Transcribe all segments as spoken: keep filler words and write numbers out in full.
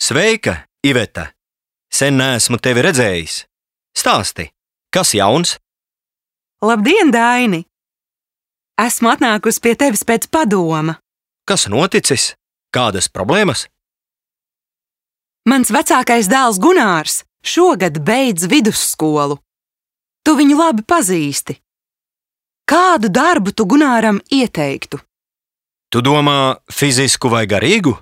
Sveika, Iveta! Sen neesmu tevi redzējis. Stāsti, kas jauns? Labdien, Daini! Esmu atnākusi pie tevis pēc padoma. Kas noticis? Kādas problēmas? Mans vecākais dēls Gunārs šogad beidz vidusskolu. Tu viņu labi pazīsti. Kādu darbu tu Gunāram ieteiktu? Tu domā fizisku vai garīgu?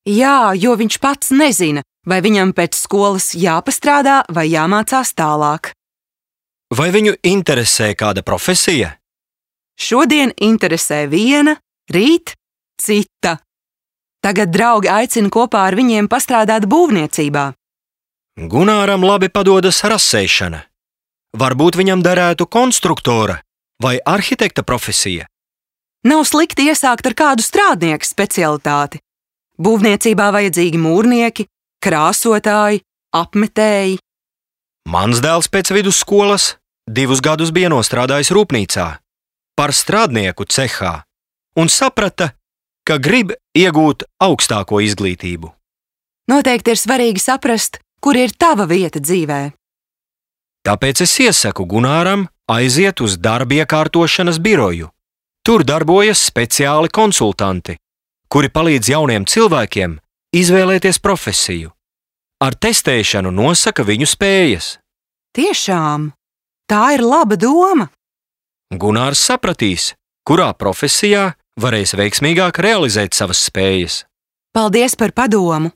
Jā, jo viņš pats nezina, vai viņam pēc skolas jāpastrādā vai jāmācās tālāk. Vai viņu interesē kāda profesija? Šodien interesē viena, rīt cita. Tagad draugi aicina kopā ar viņiem pastrādāt būvniecībā. Gunāram labi padodas rasēšana. Varbūt viņam derētu konstruktora vai arhitekta profesija. Nav slikti iesākt ar kādu strādnieku specialitāti. Būvniecībā vajadzīgi mūrnieki, krāsotāji, apmetēji. Mans dēls pēc vidusskolas divus gadus bija nostrādājis rūpnīcā par strādnieku cehā un saprata, ka grib iegūt augstāko izglītību. Noteikti ir svarīgi saprast, kur ir tava vieta dzīvē. Tāpēc es iesaku Gunāram aiziet uz darba iekārtošanas biroju. Tur darbojas speciāli konsultanti, kuri palīdz jauniem cilvēkiem izvēlēties profesiju. Ar testēšanu nosaka viņu spējas. Tiešām, tā ir laba doma. Gunārs sapratīs, kurā profesijā varēs veiksmīgāk realizēt savas spējas. Paldies par padomu!